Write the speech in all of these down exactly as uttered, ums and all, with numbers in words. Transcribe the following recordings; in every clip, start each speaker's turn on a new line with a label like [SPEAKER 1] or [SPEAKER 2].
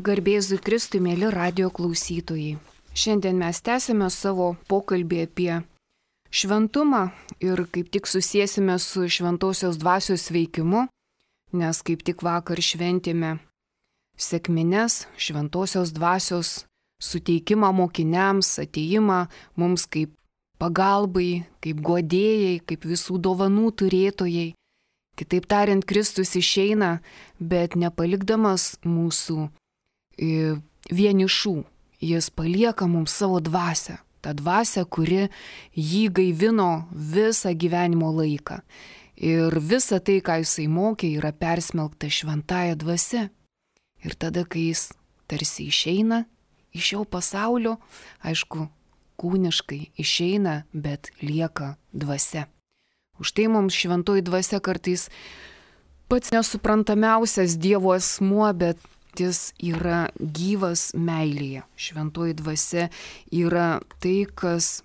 [SPEAKER 1] Garbėzui Kristui, mėly radio klausytojai. Šiandien mes tęsime savo pokalbį apie šventumą ir kaip tik susėsime su šventosios dvasios veikimu, nes kaip tik vakar šventėme sekmines, šventosios dvasios suteikimą mokiniams, ateimą mums kaip pagalbai, kaip guodėjai, kaip visų dovanų turėtojai. Kitaip tariant, Kristus išeina, bet nepalikdamas mūsų vienišų. Jis palieka mums savo dvasią. Ta dvasia, kuri jį gaivino visą gyvenimo laiką. Ir visa tai, ką jisai mokė, yra persmelkta šventąja dvasia. Ir tada, kai jis tarsi išeina iš šio pasaulio, aišku, kūniškai išeina, bet lieka dvasia. Už tai mums šventoji dvasia kartais pats nesuprantamiausias Dievo asmuo, bet jis yra gyvas meilėje. Šventoji dvasia yra tai, kas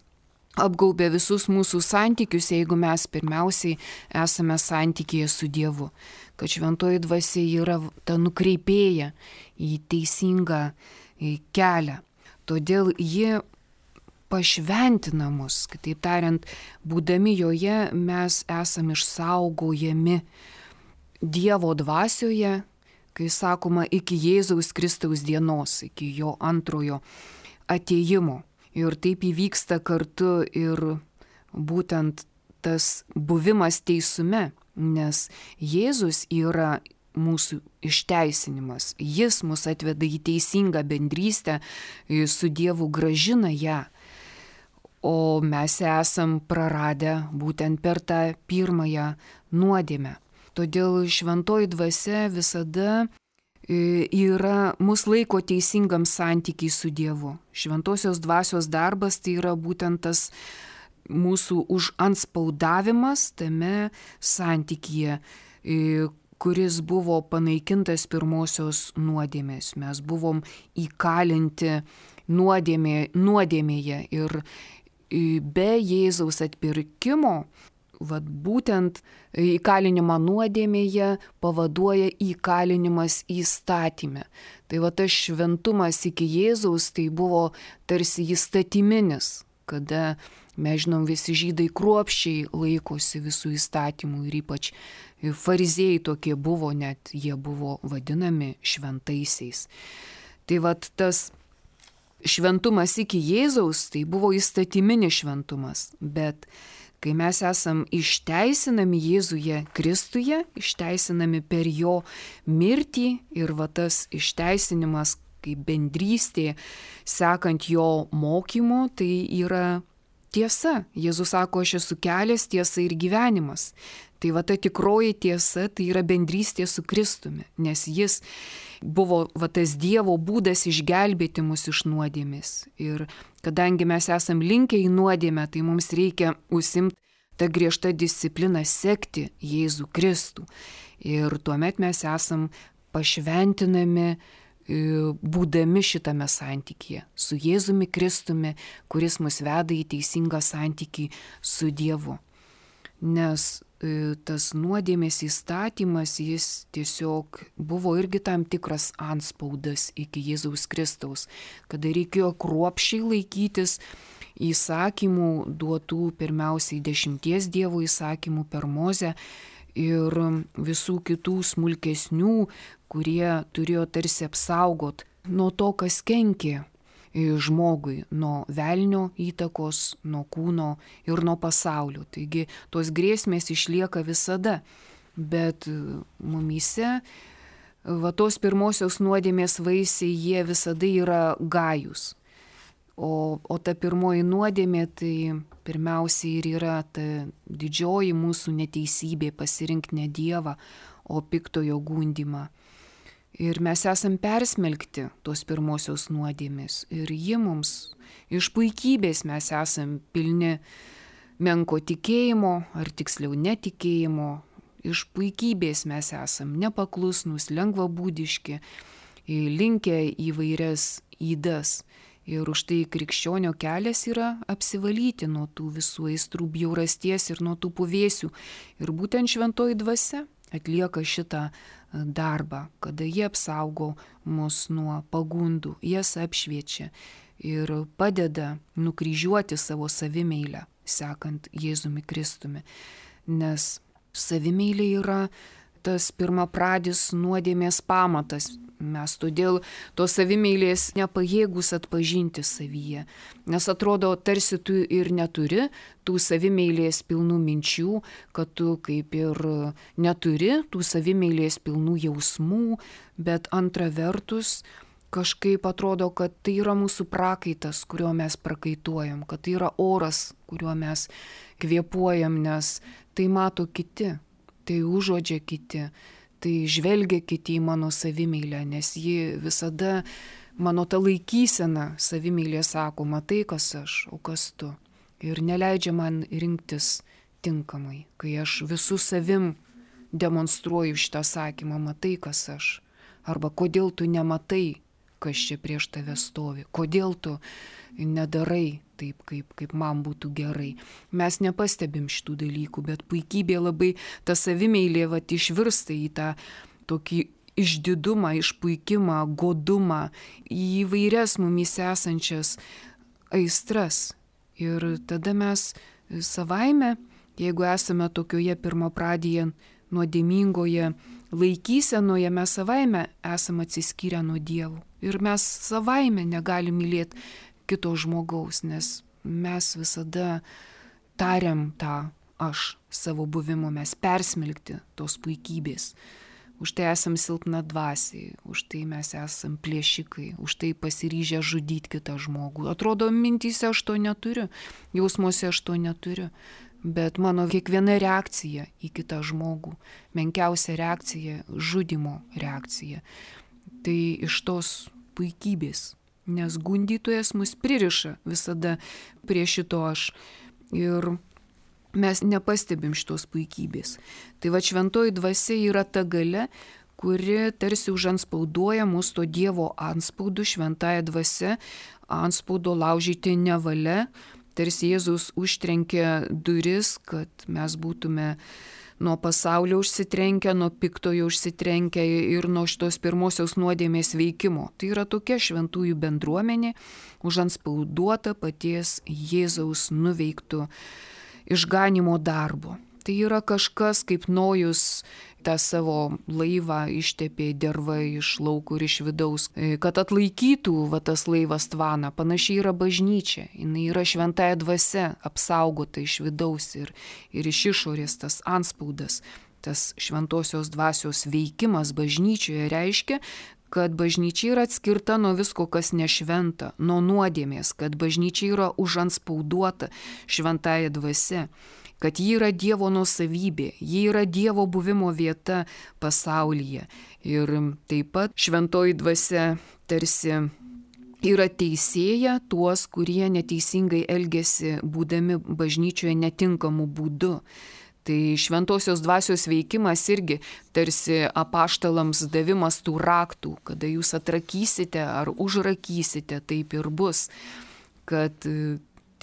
[SPEAKER 1] apgaubia visus mūsų santykius, jeigu mes pirmiausiai esame santykyje su Dievu. Kad šventoji dvasia yra ta nukreipėja į teisingą kelią. Todėl ji pašventina mus. Kitaip tariant, būdami joje mes esame išsaugojami Dievo dvasioje, kai sakoma, iki Jėzaus Kristaus dienos, iki jo antrojo atėjimo. Ir taip įvyksta kartu ir būtent tas buvimas teisume, nes Jėzus yra mūsų išteisinimas. Jis mus atveda į teisingą bendrystę, su Dievu gražina ją. O mes esam praradę būtent per tą pirmąją nuodėmę. Todėl šventoji dvasia visada yra, mus laiko teisingam santykiai su Dievu. Šventosios dvasios darbas tai yra būtent tas mūsų užantspaudavimas tame santykyje, kuris buvo panaikintas pirmosios nuodėmės. Mes buvom įkalinti nuodėmė, nuodėmėje ir be Jėzaus atpirkimo, vat būtent įkalinimą nuodėmėje pavaduoja įkalinimas įstatyme. Tai va tas šventumas iki Jėzaus tai buvo tarsi įstatyminis, kada, mes žinom, visi žydai kruopščiai laikosi visų įstatymų ir ypač fariziejai tokie buvo, net jie buvo vadinami šventaisiais. Tai va tas šventumas iki Jėzaus tai buvo įstatyminis šventumas, bet kai mes esam išteisinami Jėzuje Kristuje, išteisinami per jo mirtį ir va tas išteisinimas kaip bendrystė, sekant jo mokymu, tai yra tiesa. Jėzus sako, aš esu kelias, tiesa ir gyvenimas. Tai va ta tikroji tiesa, tai yra bendrystė su Kristumi, nes jis buvo va tas Dievo būdas išgelbėti mus iš nuodėmės. Ir kadangi mes esam linkę į nuodėmę, tai mums reikia užsimti tą griežtą discipliną sekti Jėzų Kristų. Ir tuomet mes esam pašventinami, būdami šitame santykyje su Jėzumi Kristumi, kuris mus veda į teisingą santykį su Dievu. Nes tas nuodėmės įstatymas, jis tiesiog buvo irgi tam tikras antspaudas iki Jėzaus Kristaus, kada reikėjo kruopščiai laikytis įsakymų duotų pirmiausiai dešimties Dievo įsakymų per Mozę ir visų kitų smulkesnių, kurie turėjo tarsi apsaugot nuo to, kas kenkė žmogui, nuo velnio įtakos, nuo kūno ir nuo pasaulio. Taigi tos grėsmės išlieka visada, bet mumyse va tos pirmosios nuodėmės vaisiai, jie visada yra gajūs. O, o ta pirmoji nuodėmė tai pirmiausiai ir yra ta didžioji mūsų neteisybė pasirinkti ne Dievą, o piktojo gundymą. Ir mes esam persmelkti tos pirmosios nuodėmės. Ir ji mums iš puikybės mes esam pilni menko tikėjimo, ar tiksliau netikėjimo. Iš puikybės mes esam nepaklusnus, lengvabūdiški, linkę įvairias ydas. Ir už tai krikščionio kelias yra apsivalyti nuo tų visų aistrų bjaurasties ir nuo tų puvėsių. Ir būtent šventoji dvasia atlieka šitą darbą, kada jie apsaugo mus nuo pagundų, jas apšviečia ir padeda nukryžiuoti savo savimeilę, sekant Jėzumi Kristumi. Nes savimeilė yra tas pirmapradis nuodėmės pamatas. Mes todėl tos savimeilės nepajėgus atpažinti savyje. Nes atrodo, tarsi tu ir neturi tų savimeilės pilnų minčių, kad tu kaip ir neturi tų savimeilės pilnų jausmų, bet antra vertus, kažkaip atrodo, kad tai yra mūsų prakaitas, kurio mes prakaituojam, kad tai yra oras, kuriuo mes kvėpuojam, nes tai mato kiti, tai užuodžia kiti, tai žvelgia kiti į mano savimeilę, nes ji visada, mano ta laikysena savimeilė sako, matai, kas aš, o kas tu. Ir neleidžia man rinktis tinkamai, kai aš visų savim demonstruoju šitą sakymą, matai, kas aš. Arba kodėl tu nematai, kas čia prieš tave stovi, kodėl tu nedarai taip, kaip, kaip man būtų gerai. Mes nepastebim šitų dalykų, bet puikybė labai, ta savimeilė vat išvirsta į tą tokį išdidumą, išpuikimą, godumą, į įvairias mumise esančias aistras. Ir tada mes savaime, jeigu esame tokioje pirmapradėje nuodėmingoje laikysenoje, mes savaime esame atsiskyrę nuo Dievo. Ir mes savaime negalim mylėti kito žmogaus, nes mes visada tariam tą aš savo buvimo, mes persmelkti tos puikybės. Už tai esam silpna dvasiai, už tai mes esam plėšikai, už tai pasiryžę žudyti kitą žmogų. Atrodo, mintyse aš to neturiu, jausmuose aš to neturiu, bet mano kiekviena reakcija į kitą žmogų, menkiausia reakcija, žudimo reakcija, tai iš tos puikybės. Nes gundytojas mus pririša visada prie šito aš ir mes nepastebim šitos puikybės. Tai va šventoji dvasia yra ta galia, kuri tarsi užanspauduoja mus to Dievo anspaudu, šventąja dvasia, anspaudo laužyti nevalia, tarsi Jėzus užtrenkė duris, kad mes būtume nuo pasaulio užsitrenkę, nuo piktojo užsitrenkę ir nuo šitos pirmosios nuodėmės veikimo. Tai yra tokia šventųjų bendruomenė, užanspauduota paties Jėzaus nuveiktų išganimo darbo. Tai yra kažkas, kaip Nojus tą savo laivą ištepė derva iš lauko ir iš vidaus, kad atlaikytų va, tas laivas tvaną. Panašiai yra bažnyčia, jinai yra šventąja dvasia, apsaugota iš vidaus ir, ir iš išorės tas anspaudas. Tas šventosios dvasios veikimas bažnyčioje reiškia, kad bažnyčia yra atskirta nuo visko, kas nešventa, nuo nuodėmės, kad bažnyčia yra užanspauduota šventąja dvasia, kad ji yra Dievo nuosavybė, ji yra Dievo buvimo vieta pasaulyje. Ir taip pat šventoji dvasia tarsi yra teisėja tuos, kurie neteisingai elgesi, būdami bažnyčioje netinkamu būdu. Tai šventosios dvasios veikimas irgi tarsi apaštalams davimas tų raktų, kada jūs atrakysite ar užrakysite, taip ir bus, kad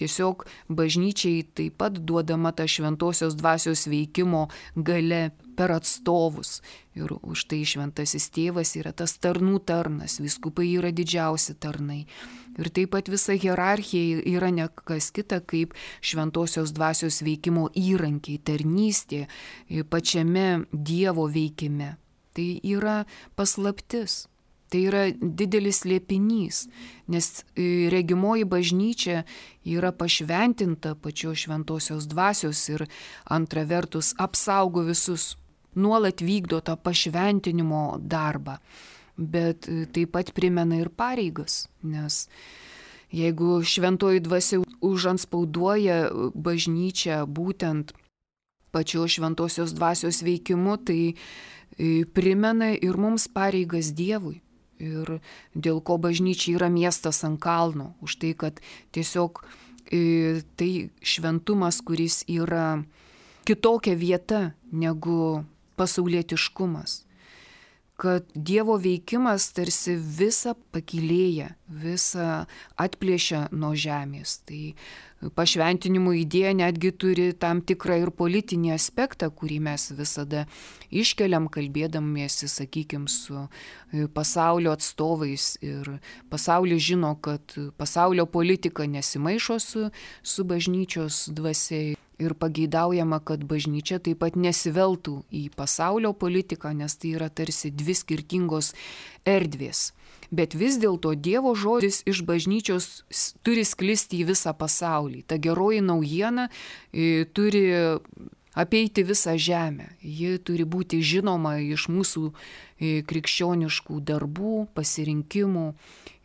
[SPEAKER 1] tiesiog bažnyčiai taip pat duodama ta šventosios dvasios veikimo galia per atstovus. Ir už tai šventasis tėvas yra tas tarnų tarnas, vyskupai yra didžiausi tarnai. Ir taip pat visa hierarchija yra ne kas kita kaip šventosios dvasios veikimo įrankiai, tarnystė pačiame Dievo veikime. Tai yra paslaptis. Tai yra didelis slėpinys, nes regimoji bažnyčia yra pašventinta pačios šventosios dvasios ir antra vertus apsaugo visus, nuolat vykdo tą pašventinimo darbą, bet taip pat primena ir pareigas, nes jeigu šventoji dvasia užanspauduoja bažnyčią būtent pačios šventosios dvasios veikimu, tai primena ir mums pareigas Dievui. Ir dėl ko bažnyčia yra miestas ant kalno, už tai, kad tiesiog tai šventumas, kuris yra kitokia vieta negu pasaulietiškumas, kad Dievo veikimas tarsi visą pakylėja, visą atplėšia nuo žemės. Tai pašventinimo idėja netgi turi tam tikrą ir politinį aspektą, kurį mes visada iškeliam, kalbėdamiesi, sakykime, su pasaulio atstovais. Ir pasaulis žino, kad pasaulio politika nesimaišo su, su bažnyčios dvasia. Ir pageidaujama, kad bažnyčia taip pat nesiveltų į pasaulio politiką, nes tai yra tarsi dvi skirtingos erdvės. Bet vis dėlto Dievo žodis iš bažnyčios turi sklisti į visą pasaulį. Ta geroji naujiena e, turi apeiti visą žemę. Ji turi būti žinoma iš mūsų krikščioniškų darbų, pasirinkimų,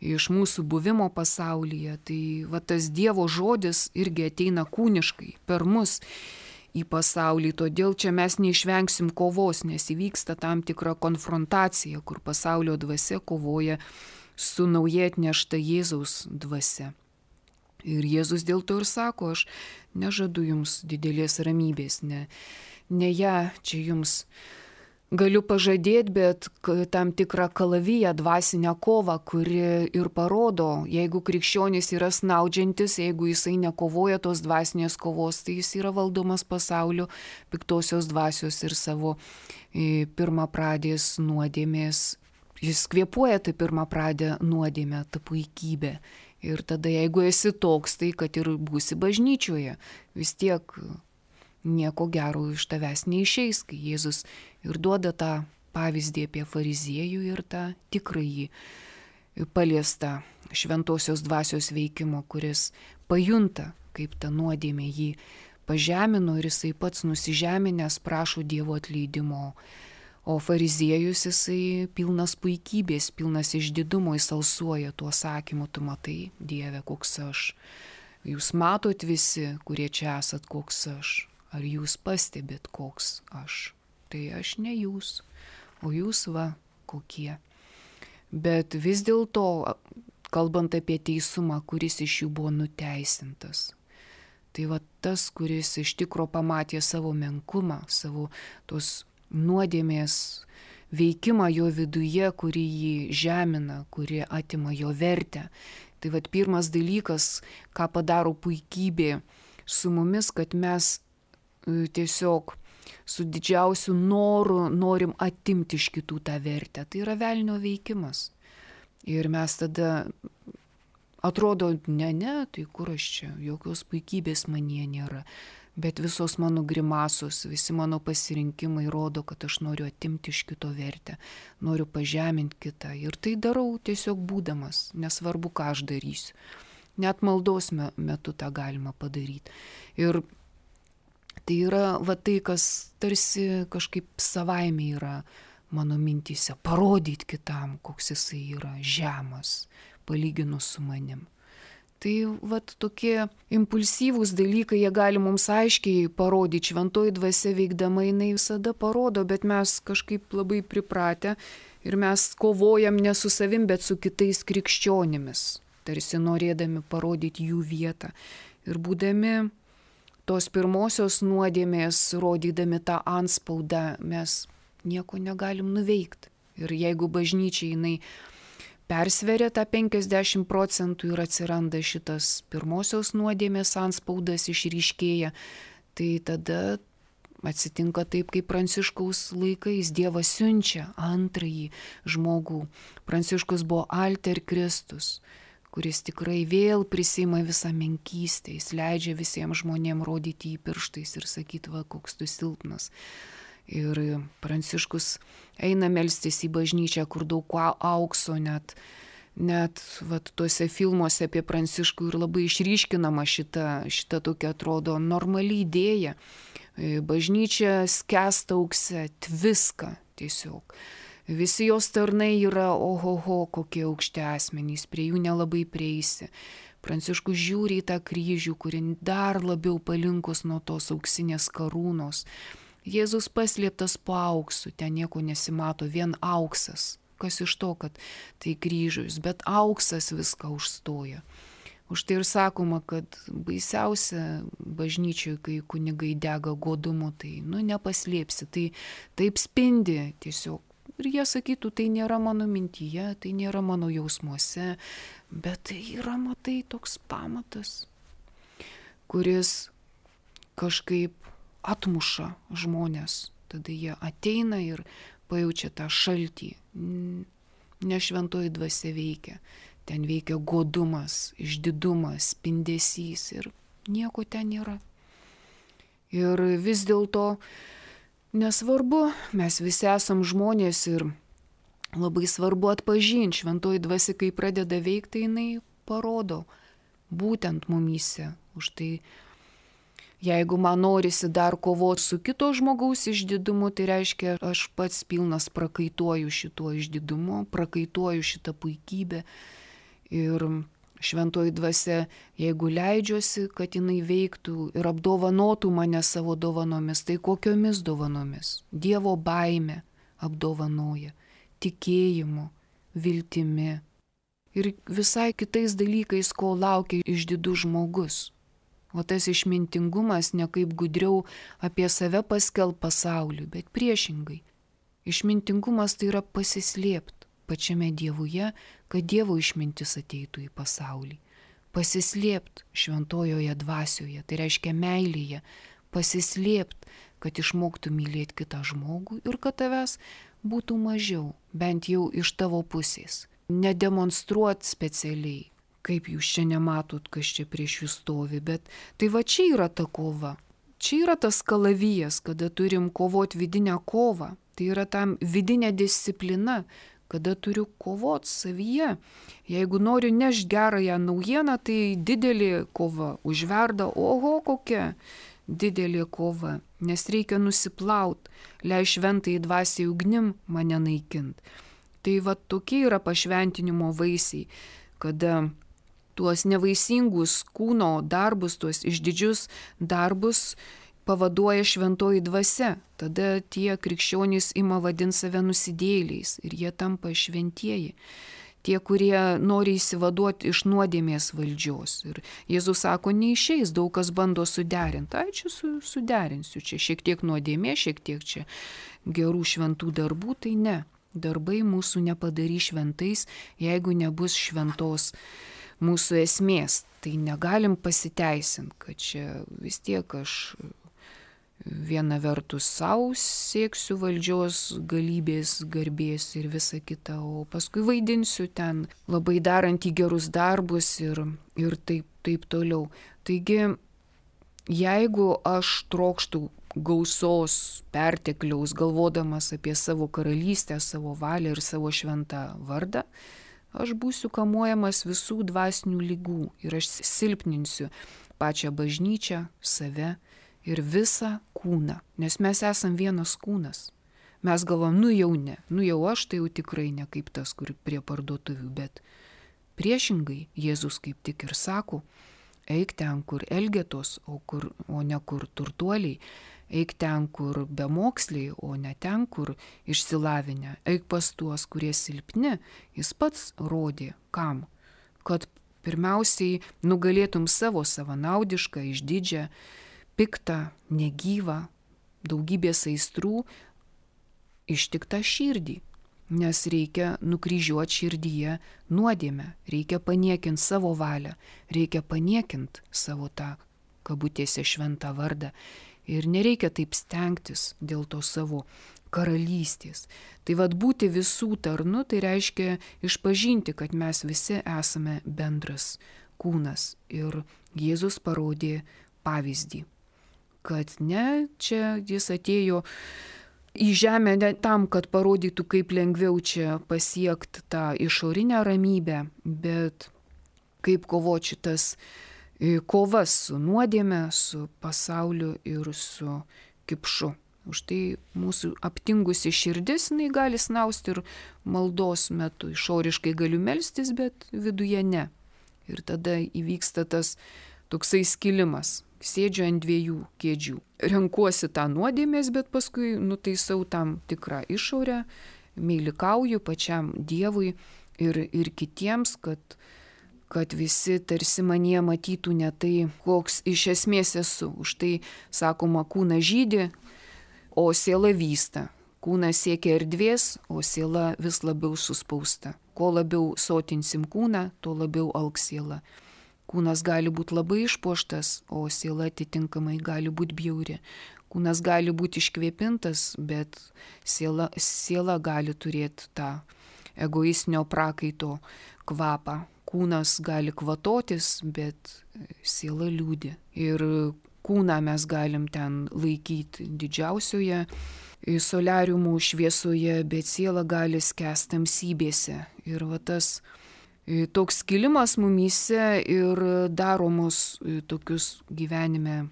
[SPEAKER 1] iš mūsų buvimo pasaulyje. Tai va, tas Dievo žodis irgi ateina kūniškai per mus į pasaulį. Todėl čia mes neišvengsim kovos, nes įvyksta tam tikra konfrontacija, kur pasaulio dvasia kovoja su naujai atnešta Jėzaus dvasia. Ir Jėzus dėl to ir sako, aš nežadu jums didelės ramybės, ne, ne ją čia jums galiu pažadėti, bet tam tikrą kalaviją, dvasinę kovą, kuri ir parodo, jeigu krikščionis yra snaudžiantis, jeigu jisai nekovoja tos dvasinės kovos, tai jis yra valdomas pasaulio piktosios dvasios ir savo pirmapradės nuodėmės. Jis kvėpuoja tą pirmapradę nuodėmę, tą puikybę. Ir tada, jeigu esi toks, tai kad ir būsi bažnyčioje, vis tiek nieko gero iš tavęs neišeis, kai Jėzus ir duoda tą pavyzdį apie fariziejų ir tą tikrąjį paliestą šventosios dvasios veikimo, kuris pajunta, kaip ta nuodėmė jį pažemino ir jisai pats nusižeminęs prašo Dievo atleidimo. O fariziejus jisai pilnas puikybės, pilnas išdidumo, jis alsuoja tuo sakymu, tu matai, Dieve, koks aš. Jūs matot visi, kurie čia esat, koks aš. Ar jūs pastebėt, koks aš. Tai aš ne jūs, o jūs va kokie. Bet vis dėlto, kalbant apie teisumą, kuris iš jų buvo nuteisintas. Tai va tas, kuris iš tikro pamatė savo menkumą, savo tos nuodėmės veikimą jo viduje, kuri jį žemina, kuri atima jo vertę. Tai vat pirmas dalykas, ką padaro puikybė su mumis, kad mes tiesiog su didžiausiu noru norim atimti iš kitų tą vertę. Tai yra velnio veikimas. Ir mes tada atrodo, ne, ne, tai kur aš čia, jokios puikybės manyje nėra. Bet visos mano grimasos, visi mano pasirinkimai rodo, kad aš noriu atimti iš kito vertę, noriu pažeminti kitą. Ir tai darau tiesiog būdamas, nesvarbu, ką aš darysiu. Net maldos metu tą galima padaryti. Ir tai yra va tai, kas tarsi kažkaip savaime yra mano mintyse, parodyti kitam, koks jisai yra žemas, palyginus su manim. Tai vat tokie impulsyvūs dalykai, jie gali mums aiškiai parodyti, šventoji dvasia veikdama jinai visada parodo, bet mes kažkaip labai pripratę ir mes kovojam ne su savim, bet su kitais krikščionimis, tarsi norėdami parodyti jų vietą. Ir būdami tos pirmosios nuodėmės, rodydami tą antspaudą, mes nieko negalim nuveikti. Ir jeigu bažnyčia jinai persveria tą penkiasdešimt procentų ir atsiranda šitas pirmosios nuodėmės antspaudas išryškėja, tai tada atsitinka taip, kaip Pranciškaus laikais Dievas siunčia antrąjį žmogų. Pranciškus buvo alter Kristus, kuris tikrai vėl prisima visą menkystę, jis leidžia visiems žmonėms rodyti į pirštais ir sakyti, va, koks tu silpnas. Ir Pranciškus eina melstis į bažnyčią, kur daug aukso, net, net vat, tuose filmuose apie Pranciškų ir labai išryškinama šita, šita tokia atrodo normali idėja. Bažnyčia skęsta aukse, tviska tiesiog. Visi jos tarnai yra ohoho, kokie aukšti asmenys, prie jų nelabai prieisi. Pranciškus žiūri į tą kryžių, kuri dar labiau palinkus nuo tos auksinės karūnos. Jėzus paslėptas po auksu, ten nieko nesimato, vien auksas. Kas iš to, kad tai kryžius, bet auksas viską užstoja. Už tai ir sakoma, kad baisiausia bažnyčioje, kai kunigai dega godumu, tai nu nepaslėpsi, tai taip spindi tiesiog Ir jie sakytų, tai nėra mano mintyje, tai nėra mano jausmuose, bet tai yra, matai, toks pamatas, kuris kažkaip atmuša žmonės. Tada jie ateina ir pajaučia tą šaltį. Ne šventoji dvasia veikia. Ten veikia godumas, išdidumas, spindesys ir nieko ten nėra. Ir vis dėlto nesvarbu, mes visi esam žmonės ir labai svarbu atpažinti, šventoji dvasia, kai pradeda veikti, jinai parodo būtent mumyse. Už tai, jeigu man norisi dar kovoti su kito žmogaus išdidumu, tai reiškia, aš pats pilnas prakaituoju šituo išdidumu, prakaituoju šitą puikybę. Ir šventoji dvasia, jeigu leidžiuosi, kad jinai veiktų ir apdovanotų mane savo dovanomis, tai kokiomis dovanomis? Dievo baime apdovanoja, tikėjimu, viltimi ir visai kitais dalykais, ko laukia išdidus žmogus. O tas išmintingumas ne kaip gudriau apie save paskelb pasauliui, bet priešingai. Išmintingumas tai yra pasislėpti pačiame Dievuje, kad Dievo išmintis ateitų į pasaulį. Pasislėpti šventojoje dvasioje, tai reiškia meilėje, pasislėpti, kad išmoktų mylėti kitą žmogų ir kad tavęs būtų mažiau, bent jau iš tavo pusės. Nedemonstruoti specialiai, kaip jūs čia nematot, kas čia prieš jūs stovi, bet tai va čia yra ta kova. Čia yra tas kalavijas, kada turim kovoti vidinę kovą. Tai yra tam vidinė disciplina, kada turiu kovoti savyje. Jeigu noriu nešti gerąją naujieną, tai didelė kova užverda, oho kokia didelė kova, nes reikia nusiplaut, lei šventai dvasiai ugnim mane naikint. Tai va tokie yra pašventinimo vaisiai, kada tuos nevaisingus kūno darbus, tuos išdidžius darbus pavaduoja šventoji dvasia. Tada tie krikščionys ima vadinti save nusidėjėliais ir jie tampa šventieji. Tie, kurie nori įsivaduoti iš nuodėmės valdžios. Ir Jėzus sako, neišeis, daug kas bando suderinti. Ai, čia su, suderinsiu, čia šiek tiek nuodėmė, šiek tiek čia gerų šventų darbų, tai ne. Darbai mūsų nepadarys šventais, jeigu nebus šventos mūsų esmės. Tai negalim pasiteisinti, kad čia vis tiek aš viena vertus savo sieksiu valdžios, galybės, garbės ir visa kita, o paskui vaidinsiu ten labai darant į gerus darbus ir, ir taip, taip toliau. Taigi, jeigu aš trokštų gausos, pertekliaus, galvodamas apie savo karalystę, savo valią ir savo šventą vardą, aš būsiu kamuojamas visų dvasinių ligų ir aš silpninsiu pačią bažnyčią, save ir visą kūną, nes mes esam vienas kūnas. Mes galvom, nu jau ne, nu jau aš tai jau tikrai ne kaip tas, kur prie parduotuvių, bet priešingai Jėzus kaip tik ir sako, eik ten, kur elgetos, o, kur, o ne kur turtuoliai, eik ten, kur bemoksliai, o ne ten, kur išsilavinę, eik pas tuos, kurie silpni. Jis pats rodė, kam, kad pirmiausiai nugalėtum savo savanaudišką, išdidžią, piktą, negyvą, daugybės aistrų ištiktą širdį, nes reikia nukryžiuoti širdyje nuodėmę, reikia paniekinti savo valią, reikia paniekinti savo tą kabutėse šventą vardą ir nereikia taip stengtis dėl to savo karalystės. Tai vad būti visų tarnu, tai reiškia išpažinti, kad mes visi esame bendras kūnas ir Jėzus parodė pavyzdį. Kad ne, čia jis atėjo į žemę ne tam, kad parodytų, kaip lengviau čia pasiekti tą išorinę ramybę, bet kaip kovoti šitas kovas su nuodėme, su pasauliu ir su kipšu. Už tai mūsų aptingusi širdis, jinai gali snausti ir maldos metu. Išoriškai galiu melstis, bet viduje ne. Ir tada įvyksta tas toksai skilimas. Sėdžiu ant dviejų kėdžių. Renkuosi tą nuodėmės, bet paskui nutaisau tam tikrą išorę, meilikauju pačiam Dievui ir, ir kitiems, kad, kad visi tarsi manie matytų ne tai, koks iš esmės esu. Už tai, sakoma, kūnas žydi, o siela vysta. Kūnas siekia erdvės, o siela vis labiau suspausta. Kuo labiau sotinsim kūną, tuo labiau augs siela. Kūnas gali būti labai išpuoštas, o siela atitinkamai gali būti bjauri. Kūnas gali būti iškvėpintas, bet siela, siela gali turėti tą egoistinio prakaito kvapą. Kūnas gali kvatotis, bet siela liūdi. Ir kūną mes galim ten laikyti didžiausioje soliariumų šviesoje, bet siela gali skęsti tamsybėse. Ir va tas toks skilimas mumyse ir daro mus tokius gyvenime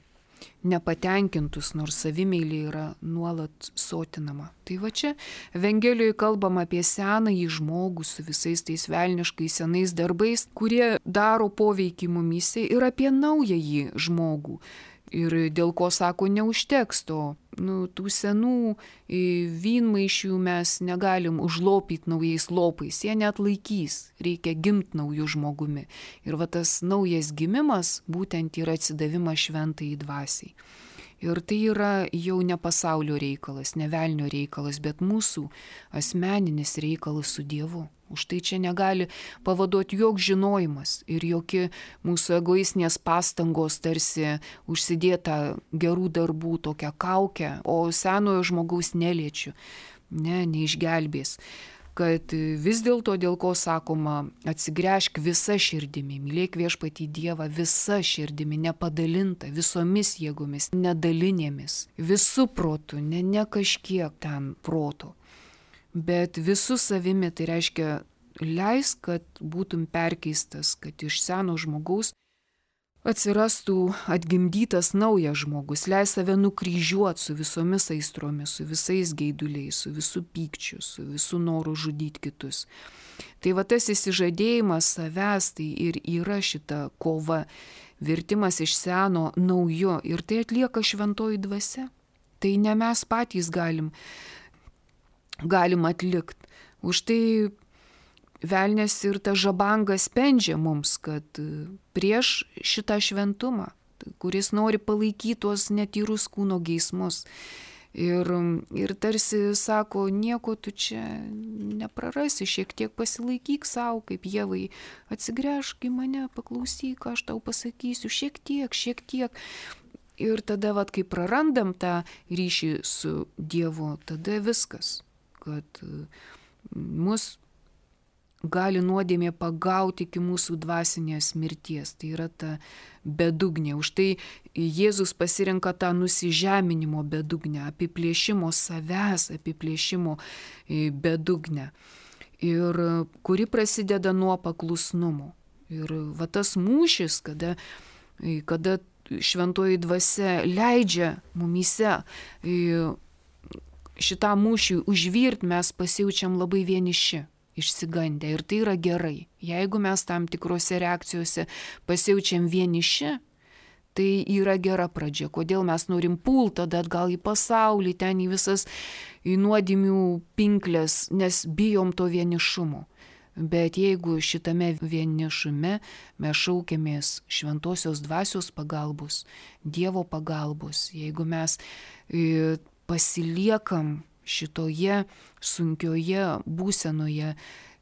[SPEAKER 1] nepatenkintus, nors savimeilė yra nuolat sotinama. Tai va čia Evangelijoje kalbam apie senąjį žmogų su visais tais velniškais senais darbais, kurie daro poveikį mumyse, ir apie naująjį žmogų. Ir dėl ko sako neužteks to, nu, tų senų vynmaišių mes negalim užlopyti naujais lopais, jie net laikys, reikia gimti naujų žmogumi. Ir va tas naujas gimimas būtent yra atsidavimas šventai dvasiai. Ir tai yra jau ne pasaulio reikalas, ne velnio reikalas, bet mūsų asmeninis reikalas su Dievu. Už tai čia negali pavaduoti joks žinojimas ir jokie mūsų egoistinės pastangos tarsi užsidėta gerų darbų tokią kaukę, o senojo žmogaus neliečiu, ne, neišgelbės. Kad vis dėlto, dėl ko sakoma, atsigręžk visa širdimi, mylėk viešpatį Dievą visa širdimi, nepadalinta, visomis jėgomis, nedalinėmis, visų protų, ne, ne kažkiek ten proto. Bet visų savimi, tai reiškia, leis, kad būtum perkeistas, kad iš seno žmogaus atsirastų atgimdytas naujas žmogus, leis save nukryžiuoti su visomis aistromis, su visais geiduliais, su visų pykčiu, su visų noru žudyti kitus. Tai va tas įsižadėjimas savęs, tai ir yra šita kova, virtimas iš seno naujo, ir tai atlieka šventoji dvasia. Tai ne mes patys galim galim atlikti. Už tai velnias ir ta žabanga spendžia mums, kad prieš šitą šventumą, kuris nori palaikyti tuos netyrus kūno geismus. Ir, ir tarsi sako, nieko tu čia neprarasi, šiek tiek pasilaikyk savo, kaip Ievai, atsigręžk į mane, paklausyk, ką aš tau pasakysiu, šiek tiek, šiek tiek. Ir tada, vat, kai prarandam tą ryšį su Dievu, tada viskas. Kad mus gali nuodėmė pagauti iki mūsų dvasinės mirties. Tai yra ta bedugnė. Už tai Jėzus pasirenka tą nusižeminimo bedugnę, apiplėšimo savęs, apiplėšimo bedugnę. Ir kuri prasideda nuo paklusnumo. Ir va tas mūšis, kada, kada šventoji dvasia leidžia mumyse šitą mūšį užvirt, mes pasijaučiam labai vieniši, išsigandę. Ir tai yra gerai. Jeigu mes tam tikrose reakcijose pasijaučiam vieniši, tai yra gera pradžia. Kodėl mes norim pult tada atgal į pasaulį, ten į visas į nuodėmių pinklės, nes bijom to vienišumo. Bet jeigu šitame vienišume mes šaukiamės šventosios dvasios pagalbos, Dievo pagalbos, jeigu mes pasiliekam šitoje sunkioje būsenoje,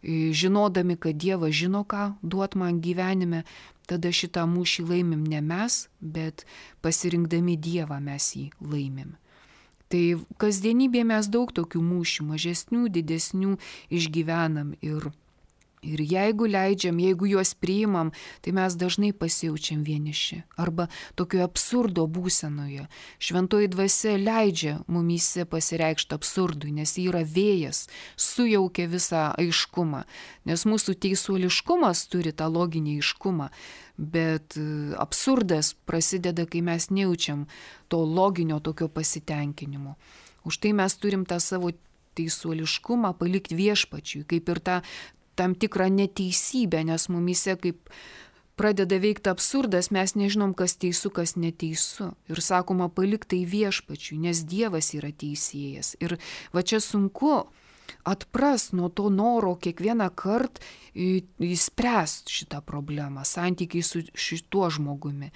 [SPEAKER 1] žinodami, kad Dievas žino, ką duot man gyvenime, tada šitą mūšį laimim ne mes, bet pasirinkdami Dievą mes jį laimim. Tai kasdienybėje mes daug tokių mūšių, mažesnių, didesnių išgyvenam ir Ir jeigu leidžiam, jeigu juos priimam, tai mes dažnai pasijaučiam vieniši. Arba tokio absurdo būsenoje. Šventoji dvasia leidžia mumyse pasireikšti absurdui, nes jis yra vėjas, sujaukia visą aiškumą. Nes mūsų teisuoliškumas turi tą loginį aiškumą, bet absurdas prasideda, kai mes nejaučiam to loginio tokio pasitenkinimo. Už tai mes turim tą savo teisuoliškumą palikti viešpačiui, kaip ir tą tam tikrą neteisybę, nes mumyse kaip pradeda veikti absurdas, mes nežinom, kas teisų, kas neteisu. Ir sakoma, palik tai viešpačiui, nes Dievas yra teisėjas. Ir va čia sunku atpras nuo to noro kiekvieną kartą įspręsti šitą problemą, santykiai su šituo žmogumi.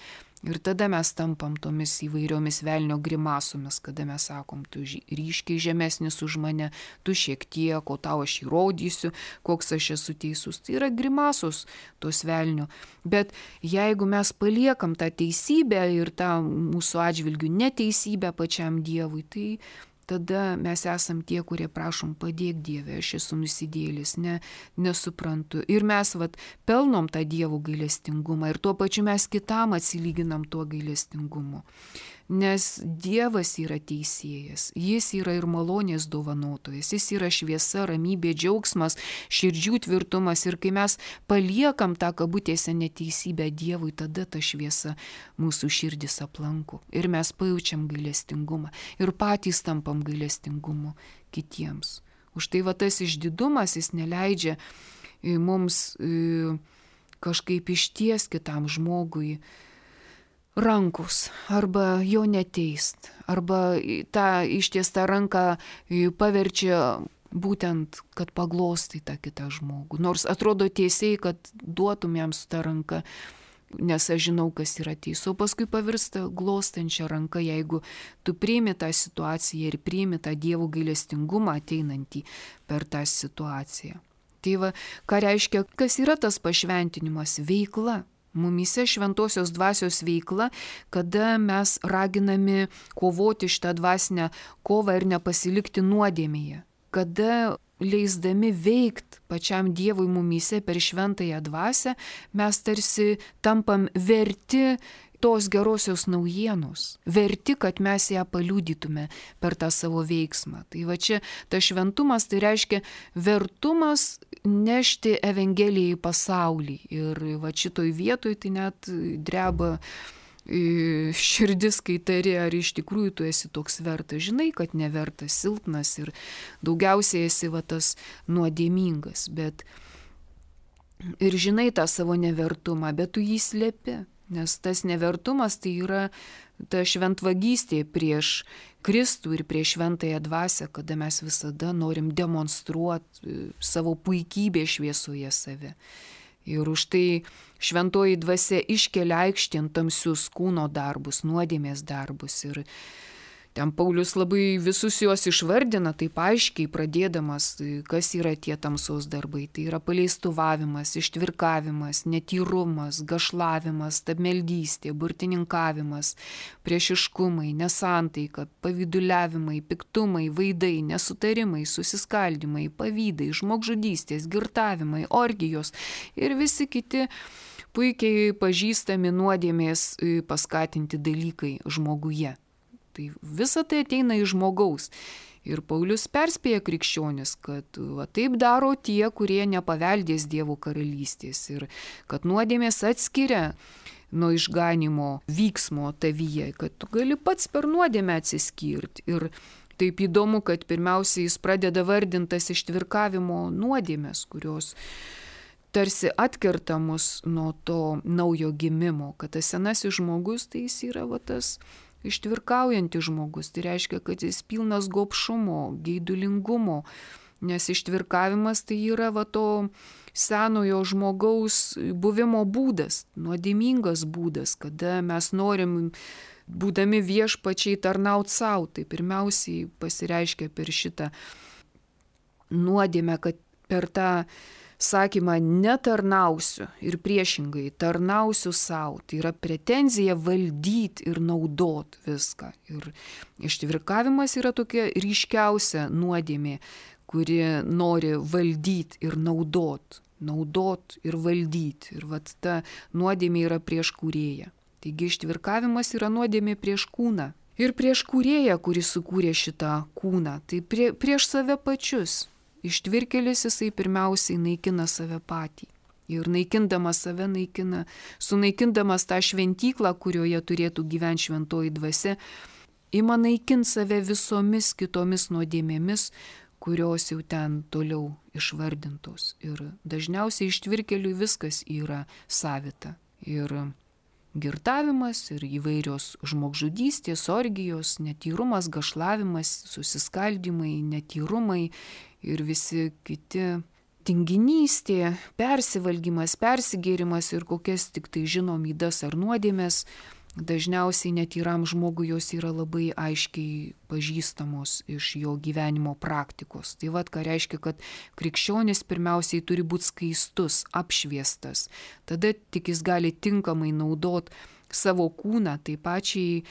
[SPEAKER 1] Ir tada mes tampam tomis įvairiomis velnio grimasomis, kada mes sakom, tu ryškiai žemesnis už mane, tu šiek tiek, o tau aš įrodysiu, koks aš esu teisus. Tai yra grimasos tos velnio. Bet jeigu mes paliekam tą teisybę ir tą mūsų atžvilgių neteisybę pačiam Dievui, tai tada mes esam tie, kurie prašom, padėk Dieve, aš esu nusidėlis, ne, nesuprantu. Ir mes vat, pelnom tą Dievo gailestingumą ir tuo pačiu mes kitam atsilyginam tuo gailestingumu. Nes Dievas yra teisėjas, jis yra ir malonės dovanotojas, jis yra šviesa, ramybė, džiaugsmas, širdžių tvirtumas. Ir kai mes paliekam tą kabutėse neteisybę Dievui, tada ta šviesa mūsų širdis aplanko. Ir mes pajaučiam gailestingumą ir patys tampam gailestingumu kitiems. Už tai va tas išdidumas, jis neleidžia mums kažkaip išties kitam žmogui rankos, arba jo neteist, arba tą ištiestą ranką paverčia būtent, kad paglostai tą kitą žmogų. Nors atrodo tiesiai, kad duotum jam su tą ranką, nes aš žinau, kas yra teisų, o paskui pavirsta glostančia ranka, jeigu tu priimi tą situaciją ir priimi tą Dievo gailestingumą ateinantį per tą situaciją. Tai va, ką reiškia, kas yra tas pašventinimas? Veikla. Mumyse šventosios dvasios veikla, kada mes raginami kovoti šitą dvasinę kovą ir nepasilikti nuodėmėje. Kada leisdami veikt pačiam Dievui mumyse per šventąją dvasią, mes tarsi tampam verti tos gerosios naujienos, verti, kad mes ją paliudytume per tą savo veiksmą. Tai va čia tas šventumas, tai reiškia vertumas nešti Evangeliją į pasaulį. Ir va šitoj vietoj tai net dreba širdis, kai tari, ar iš tikrųjų tu esi toks vertas. Žinai, kad nevertas, silpnas ir daugiausiai esi va tas nuodėmingas. Bet ir žinai tą savo nevertumą, bet tu jį slepi. Nes tas nevertumas tai yra ta šventvagystė prieš Kristų ir prieš šventąją dvasią, kada mes visada norim demonstruoti savo puikybę šviesoje save. Ir už tai šventoji dvasia iškelia aikštėn tamsius kūno darbus, nuodėmės darbus. Ir ten Paulius labai visus juos išvardina, taip aiškiai pradėdamas, kas yra tie tamsos darbai. Tai yra paleistuvavimas, ištvirkavimas, netyrumas, gašlavimas, stabmeldystė, burtininkavimas, priešiškumai, nesantaika, pavyduliavimai, piktumai, vaidai, nesutarimai, susiskaldimai, pavydai, žmogžudystės, girtavimai, orgijos ir visi kiti puikiai pažįstami nuodėmės paskatinti dalykai žmoguje. Tai visa tai ateina iš žmogaus. Ir Paulius perspėja krikščionis, kad va, taip daro tie, kurie nepaveldės Dievo karalystės ir kad nuodėmės atskiria nuo išganimo vyksmo tavyje, kad tu gali pats per nuodėmę atsiskirti. Ir taip įdomu, kad pirmiausiai jis pradeda vardintas ištvirkavimo nuodėmės, kurios tarsi atkerta mus nuo to naujo gimimo, kad tas senasis žmogus tai jis yra va, tas ištvirkaujantis žmogus, tai reiškia, kad jis pilnas gobšumo, geidulingumo, nes ištvirkavimas tai yra va to senojo žmogaus buvimo būdas, nuodėmingas būdas, kada mes norim, būdami viešpačiai, tarnauti savo. Tai pirmiausiai pasireiškia per šitą nuodėmę, kad per tą sakymą netarnausiu ir priešingai tarnausiu savo. Tai yra pretenzija valdyti ir naudot viską. Ir ištvirkavimas yra tokia ryškiausia nuodėmė, kuri nori valdyti ir naudot. Naudot ir valdyti. Ir vat ta nuodėmė yra prieš kūrėją. Taigi ištvirkavimas yra nuodėmė prieš kūną. Ir prieš kūrėją, kuris sukūrė šitą kūną. Tai prie, prieš save pačius. Ištvirkėlis jisai pirmiausiai naikina save patį. Ir naikindamas save naikina, sunaikindamas tą šventyklą, kurioje turėtų gyventi šventoji dvasia, ima naikinti save visomis kitomis nuodėmėmis, kurios jau ten toliau išvardintos. Ir dažniausiai ištvirkėliui viskas yra savita. Ir girtavimas, ir įvairios žmogžudystės, orgijos, netyrumas, gašlavimas, susiskaldimai, netyrumai ir visi kiti tinginystė, persivalgymas, persigėrimas ir kokias tik tai žinom ydas ar nuodėmės dažniausiai netyram žmogui jos yra labai aiškiai pažįstamos iš jo gyvenimo praktikos. Tai vad, ką reiškia, kad krikščionis pirmiausiai turi būti skaistus, apšviestas. Tada tik jis gali tinkamai naudoti savo kūną, tai pačiai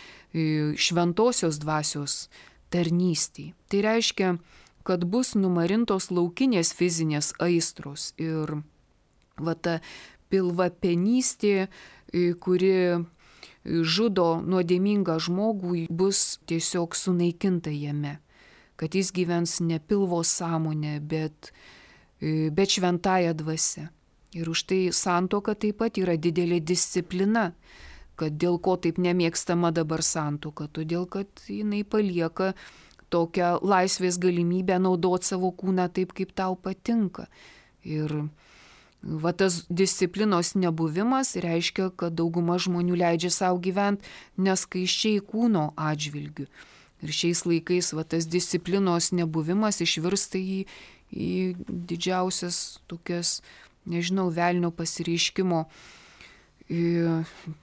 [SPEAKER 1] šventosios dvasios tarnystei. Tai reiškia, kad bus numarintos laukinės fizinės aistros ir va ta pilvapenystė, kuri žudo nuodėmingą žmogų, bus tiesiog sunaikinta jame, kad jis gyvens ne pilvo sąmonė, bet, bet šventąja dvasia. Ir už tai santuoka taip pat yra didelė disciplina, kad dėl ko taip nemėgstama dabar santuoka, todėl kad jinai palieka tokią laisvės galimybę naudoti savo kūną taip, kaip tau patinka. Ir va tas disciplinos nebuvimas reiškia, kad dauguma žmonių leidžia savo gyventi neskaiščiai kūno atžvilgių. Ir šiais laikais va tas disciplinos nebuvimas išvirsta į, į didžiausias tokias, nežinau, velnio pasireiškimo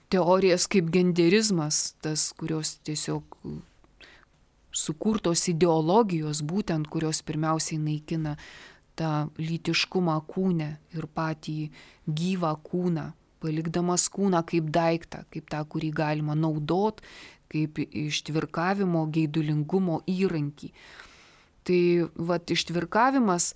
[SPEAKER 1] teorijas kaip genderizmas, tas, kurios tiesiog sukurtos ideologijos, būtent kurios pirmiausiai naikina tą lytiškumą kūne ir patį gyvą kūną, palikdamas kūną kaip daiktą, kaip tą, kurį galima naudot, kaip ištvirkavimo, geidulingumo įrankį. Tai vat ištvirkavimas,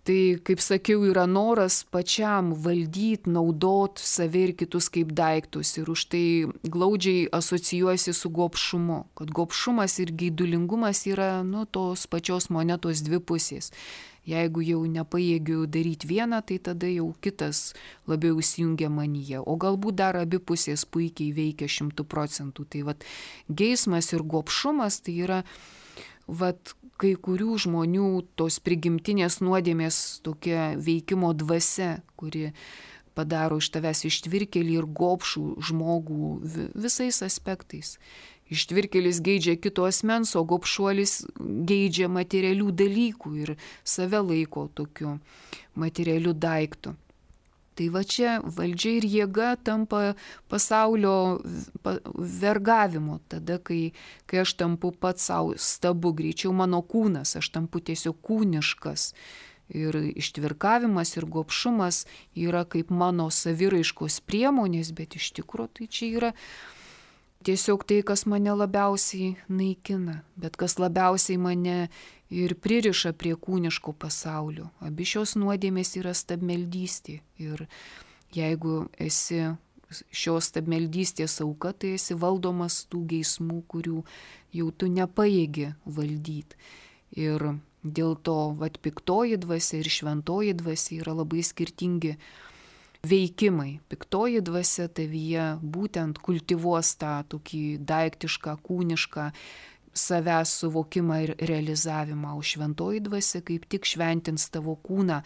[SPEAKER 1] tai, kaip sakiau, yra noras pačiam valdyti, naudot save ir kitus kaip daiktus. Ir už tai glaudžiai asocijuojasi su gobšumu, kad gobšumas ir geidulingumas yra, nu, tos pačios monetos dvi pusės. Jeigu jau nepajėgiu daryti vieną, tai tada jau kitas labiau įsijungia manyje. O galbūt dar abi pusės puikiai veikia šimtų procentų. Tai vat geismas ir gobšumas tai yra vat kai kurių žmonių tos prigimtinės nuodėmės tokia veikimo dvasia, kuri padaro iš tavęs ištvirkelį ir gobšų žmogų visais aspektais. Ištvirkelis geidžia kito asmens, o gobšuolis geidžia materialių dalykų ir save laiko tokiu materialiu daiktu. Tai va čia valdžia ir jėga tampa pasaulio vergavimo, tada, kai, kai aš tampu pats savo stabu, greičiau mano kūnas, aš tampu tiesiog kūniškas. Ir ištvirkavimas ir gobšumas yra kaip mano saviraiškos priemonės, bet iš tikrųjų tai čia yra tiesiog tai, kas mane labiausiai naikina, bet kas labiausiai mane ir pririša prie kūniško pasaulio. Abi šios nuodėmės yra stabmeldystė. Ir jeigu esi šios stabmeldystės auka, tai esi valdomas tų geismų, kurių jau tu nepajėgi valdyti. Ir dėl to vat piktoji dvasia ir šventoji dvasia yra labai skirtingi veikimai. Piktoji dvasia tavyje būtent kultivuos tą tokį daiktišką, kūnišką savęs suvokimą ir realizavimą, o šventoji dvasia kaip tik šventins tavo kūną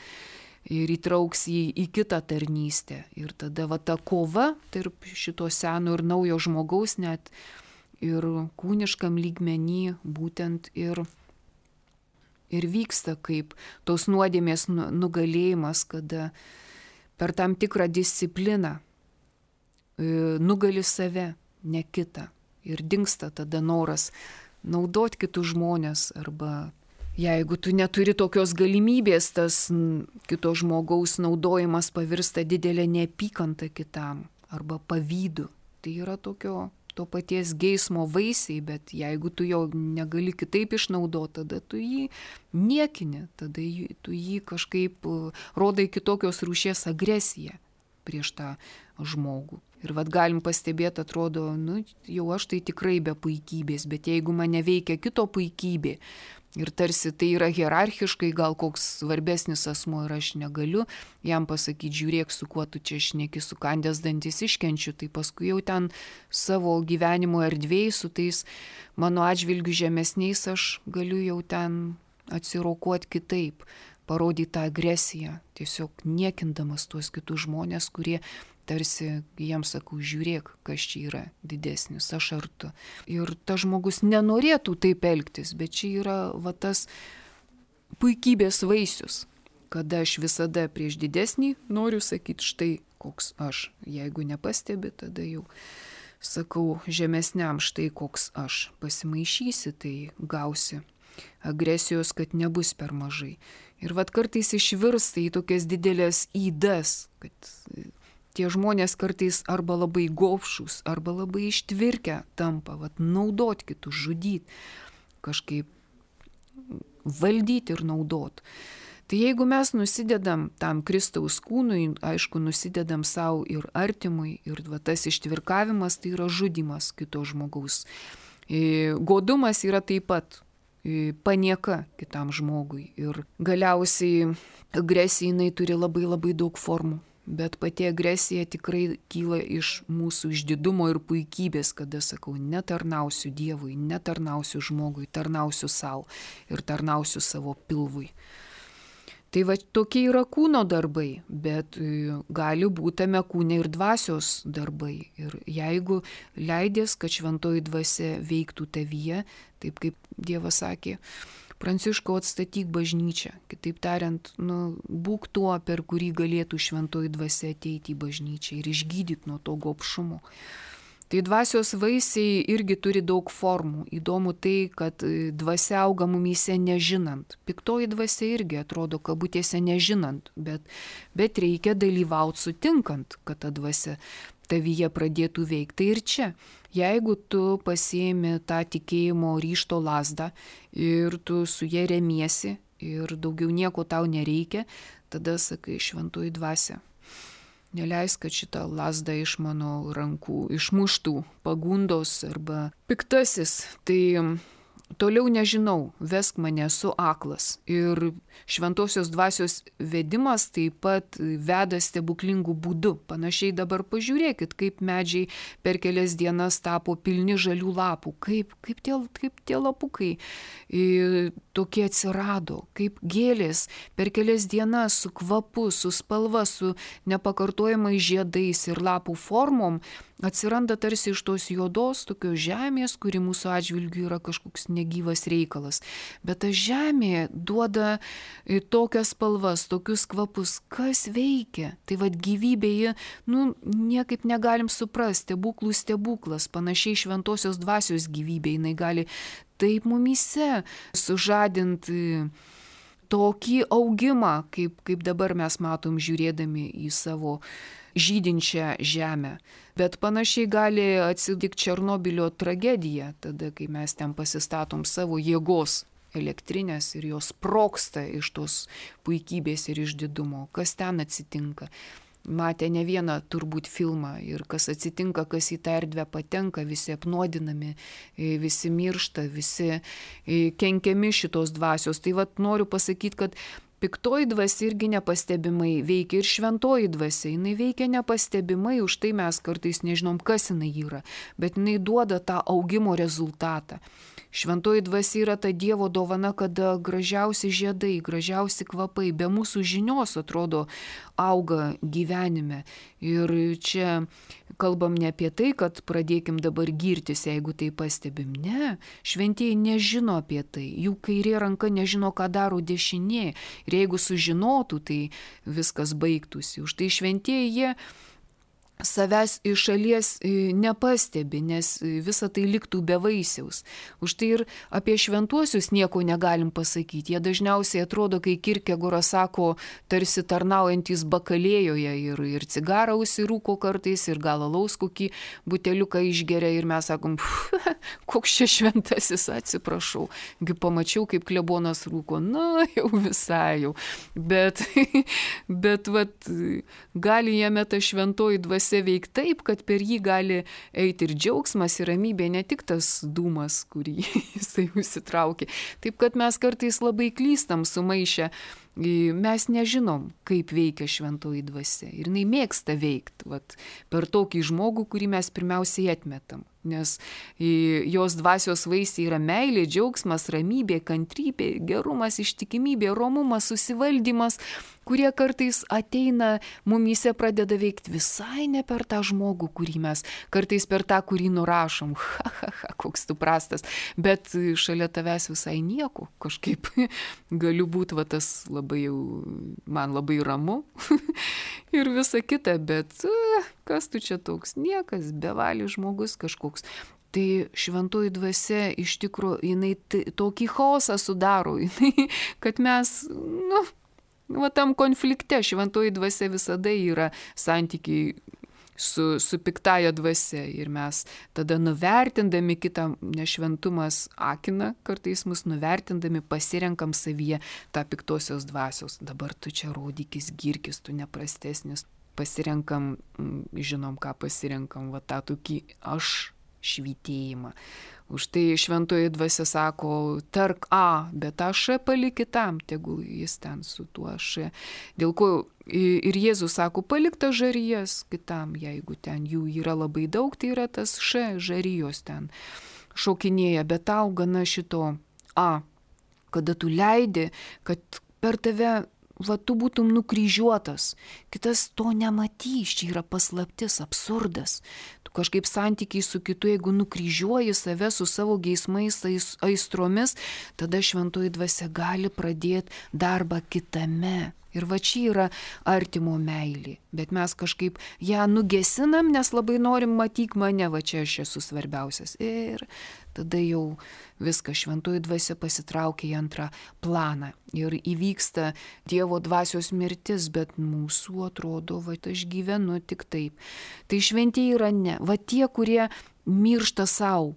[SPEAKER 1] ir įtrauks jį į kitą tarnystę. Ir tada va ta kova tarp šito seno ir naujo žmogaus net ir kūniškam lygmenį būtent ir, ir vyksta kaip tos nuodėmės nugalėjimas, kada per tam tikrą discipliną nugali save, ne kitą. Ir dingsta tada noras naudot kitus žmonės, arba jeigu tu neturi tokios galimybės, tas kito žmogaus naudojimas pavirsta didelė neapykanta kitam arba pavydu. Tai yra tokio to paties geismo vaisiai, bet jeigu tu jo negali kitaip išnaudoti, tada tu jį niekini, tada tu jį kažkaip rodai kitokios rūšies agresiją prieš tą žmogų. Ir vad galim pastebėti, atrodo, nu, jau aš tai tikrai be puikybės, bet jeigu mane veikia kito puikybė ir tarsi tai yra hierarchiškai, gal koks svarbesnis asmuo ir aš negaliu jam pasakyti, žiūrėk, su kuo tu čia šneki, sukandęs dantis iškenčiu, tai paskui jau ten savo gyvenimo erdvėj su tais mano atžvilgių žemesniais aš galiu jau ten atsirokuoti kitaip, parodyti tą agresiją, tiesiog niekindamas tuos kitus žmonės, kurie tarsi jiems sakau, žiūrėk, kas čia yra didesnis, aš ar tu. Ir tas žmogus nenorėtų taip elgtis, bet čia yra va tas puikybės vaisius, kada aš visada prieš didesnį noriu sakyti, štai koks aš. Jeigu nepastebi, tada jau sakau žemesniam, štai koks aš, pasimaišysi, tai gausi agresijos, kad nebus per mažai. Ir vat kartais išvirsta į tokias didelės įdas, kad tie žmonės kartais arba labai gobšus, arba labai ištvirkę tampa, vat naudot kitus, žudyt, kažkaip valdyti ir naudot. Tai jeigu mes nusidedam tam Kristaus kūnui, aišku, nusidedam savo ir artimui, ir va, tas ištvirkavimas tai yra žudymas kito žmogaus. Godumas yra taip pat panieka kitam žmogui. Ir galiausiai agresija jinai turi labai labai daug formų. Bet pati agresija tikrai kyla iš mūsų išdidumo ir puikybės, kada sakau, netarnausiu Dievui, netarnausiu žmogui, tarnausiu savo ir tarnausiu savo pilvui. Tai va tokie yra kūno darbai, bet gali būti tame kūne ir dvasios darbai. Ir jeigu leidės, kad šventoji dvasia veiktų tavyje, taip kaip Dievas sakė, Pranciškau, atstatyk bažnyčią. Kitaip tariant, nu, būk tuo, per kurį galėtų šventoji dvasia ateiti į bažnyčią ir išgydyti nuo to gobšumo. Tai dvasios vaisiai irgi turi daug formų. Įdomu tai, kad dvasia auga mumyse nežinant. Piktoji dvasia irgi atrodo kabutėse nežinant, bet, bet reikia dalyvauti sutinkant, kad ta dvasia tavyje pradėtų veikti. Tai ir čia, jeigu tu pasiėmi tą tikėjimo ryžto lazdą ir tu su ja remiesi ir daugiau nieko tau nereikia, tada sakai, šventoji dvasia, neleisk, kad šitą lazdą iš mano rankų išmuštų pagundos arba piktasis. Tai toliau nežinau, vesk mane, esu aklas. Ir šventosios dvasios vedimas taip pat veda stebuklingų būdų. Panašiai dabar pažiūrėkit, kaip medžiai per kelias dienas tapo pilni žalių lapų, kaip, kaip, tie, kaip tie lapukai e, tokie atsirado, kaip gėlės per kelias dienas su kvapu, su spalva, su nepakartojamais žiedais ir lapų formom atsiranda tarsi iš tos juodos tokios žemės, kuri mūsų atžvilgiu yra kažkoks negyvas reikalas. Bet ta žemė duoda tokias spalvas, tokius kvapus. Kas veikia? Tai vad gyvybėje, nu, niekaip negalim suprasti, stebuklų stebuklas, panašiai šventosios dvasios gyvybė, jinai gali taip mumyse sužadinti tokį augimą, kaip, kaip dabar mes matom žiūrėdami į savo žydinčią žemę. Bet panašiai gali atsitikti Černobylio tragedija, tada, kai mes ten pasistatom savo jėgos elektrinės ir jos sprogsta iš tos puikybės ir išdidumo. Kas ten atsitinka? Matė ne vieną turbūt filmą ir kas atsitinka, kas į tą erdvę patenka, visi apnuodinami, visi miršta, visi kenkiami šitos dvasios. Tai vat noriu pasakyti, kad piktoji dvasia irgi nepastebimai veikia ir šventoji dvasia. Jinai veikia nepastebimai, už tai mes kartais nežinom, kas jinai yra, bet jinai duoda tą augimo rezultatą. Šventoji dvasia yra ta Dievo dovana, kada gražiausi žiedai, gražiausi kvapai be mūsų žinios atrodo auga gyvenime. Ir čia kalbam ne apie tai, kad pradėkim dabar girtis, jeigu tai pastebim. Ne, šventieji nežino apie tai. Jų kairė ranka nežino, ką daro dešinė. Ir jeigu sužinotų, tai viskas baigtųsi. Už tai šventieji jie savęs iš šalies nepastebi, nes visa tai liktų be vaisiaus. Už tai ir apie šventuosius nieko negalim pasakyti. Jie dažniausiai atrodo, kai Kierkegoras sako, tarsi tarnaujantis bakalėjoje ir, ir cigarą užsirūko kartais, ir gal alaus kokį buteliuką išgeria ir mes sakom, koks čia šventasis, atsiprašau. Gi pamačiau, kaip klebonas rūko, na jau visai jau. Bet, bet vat, gali jame ta šventoji dvasia veikti taip, kad per jį gali eiti ir džiaugsmas, ir ramybė, ne tik tas dūmas, kurį jisai užsitraukė. Taip, kad mes kartais labai klystam sumaišę. Mes nežinom, kaip veikia šventoji dvasia. Ir jinai mėgsta veikti vat, per tokį žmogų, kurį mes pirmiausiai atmetam. Nes jos dvasios vaisiai yra meilė, džiaugsmas, ramybė, kantrybė, gerumas, ištikimybė, romumas, susivaldymas, kurie kartais ateina, mumyse pradeda veikti visai ne per tą žmogų, kurį mes, kartais per tą, kurį nurašom. Ha, ha, ha, koks tu prastas. Bet šalia tavęs visai nieko. Kažkaip galiu būti va tas labai jau, man labai ramu. ir visa kita, bet uh, kas tu čia toks, niekas, bevalis žmogus kažkoks. Tai šventoji dvasia iš tikrųjų, jinai t- tokį chaosą sudaro, jinai, kad mes, nu, va tam konflikte šventoji dvasia visada yra santykiai su, su piktaja dvasia ir mes tada nuvertindami kitą, nešventumas akina, kartais mus nuvertindami pasirenkam savyje tą piktosios dvasios. Dabar tu čia rodykis, girkis, tu neprastesnis. Pasirenkam, žinom ką pasirenkam, va tą tokį aš švytėjimą. Už tai šventoji dvasia sako, tark A, bet tą Š palik kitam, tegul jis ten su tuo Š. Dėl ko ir Jėzus sako, palik tą žarijas kitam, jeigu ten jų yra labai daug, tai yra tas Š, žarijos ten šokinėja, bet tau gana šito A, kada tu leidi, kad per tave va, tu būtum nukryžiuotas, kitas to nematys, čia yra paslaptis, absurdas. Tu kažkaip santykiai su kitu, jeigu nukryžiuoji save su savo geismais, aistromis, tada šventoji dvasia gali pradėti darbą kitame. Ir va čia yra artimo meilė, bet mes kažkaip ją nugesinam, nes labai norim matyk mane, va čia aš esu svarbiausias. Ir tada jau viskas, šventoji dvasia pasitraukia į antrą planą ir įvyksta Dievo dvasios mirtis, bet mūsų atrodo, va aš gyvenu tik taip. Tai šventieji yra ne, va tie, kurie miršta savo,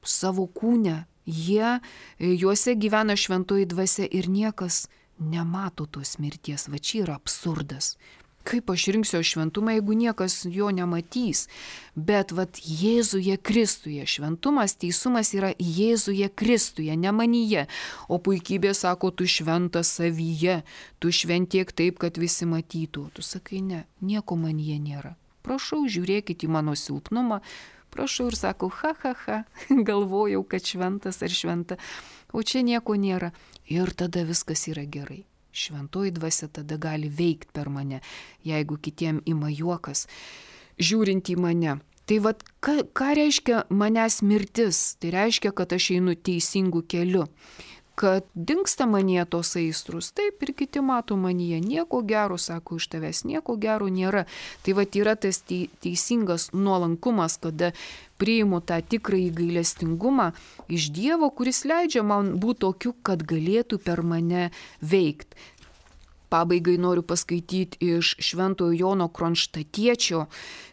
[SPEAKER 1] savo kūne, jie, juose gyvena šventoji dvasia ir niekas nemato tos mirties, va čia yra absurdas. Kaip aš rinksiu šventumą, jeigu niekas jo nematys? Bet vat Jėzuje Kristuje, šventumas, teisumas yra Jėzuje Kristuje, ne manyje. O puikybė sako, tu šventas savyje, tu šventiek taip, kad visi matytų. Tu sakai, ne, nieko manyje nėra. Prašau, žiūrėkit į mano silpnumą. Prašau ir sakau, ha, ha, ha, galvojau, kad šventas ar šventa. O čia nieko nėra. Ir tada viskas yra gerai. Šventoji dvasia tada gali veikti per mane, jeigu kitiem ima juokas, žiūrint į mane. Tai vad, ką, ką reiškia manęs mirtis? Tai reiškia, kad aš einu teisingu keliu, kad dingsta manyje tos aistrus. Taip ir kiti mato manyje, nieko gero, sako, iš tavęs nieko gero nėra. Tai vad yra tas teisingas nuolankumas, kada priimu tą tikrąjį gailestingumą iš Dievo, kuris leidžia man būti tokiu, kad galėtų per mane veikti. Pabaigai noriu paskaityti iš Šventojo Jono Kronštatiečio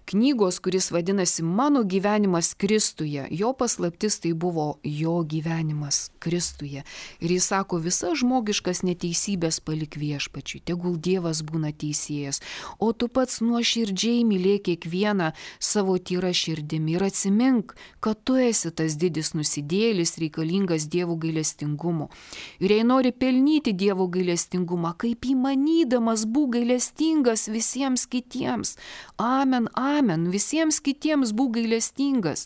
[SPEAKER 1] knygos, kuris vadinasi Mano gyvenimas Kristuje. Jo paslaptis tai buvo jo gyvenimas Kristuje. Ir jis sako, visa žmogiškas neteisybės palik viešpačiui, tegul Dievas būna teisėjas, o tu pats nuoširdžiai mylėk kiekvieną savo tyra širdimi ir atsimink, kad tu esi tas didis nusidėlis reikalingas Dievo gailestingumo. Ir jei nori pelnyti Dievo gailestingumą, kaip įmanydamas būk gailestingas visiems kitiems. Amen, amen, visiems kitiems būk gailestingas.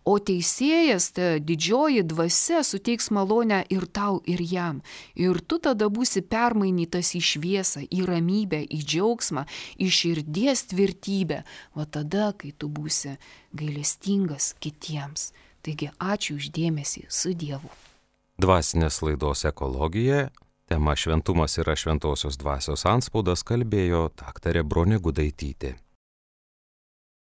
[SPEAKER 1] O teisėjas, ta didžioji dvasia, suteiks malonę ir tau, ir jam. Ir tu tada būsi permainytas į šviesą, į ramybę, į džiaugsmą, į širdies tvirtybę. O tada, kai tu būsi gailestingas kitiems. Taigi ačiū už dėmesį, su Dievu.
[SPEAKER 2] Dvasinės laidos ekologija, tema šventumas yra šventosios dvasios antspaudas, kalbėjo daktarė Bronė Gudaitytė.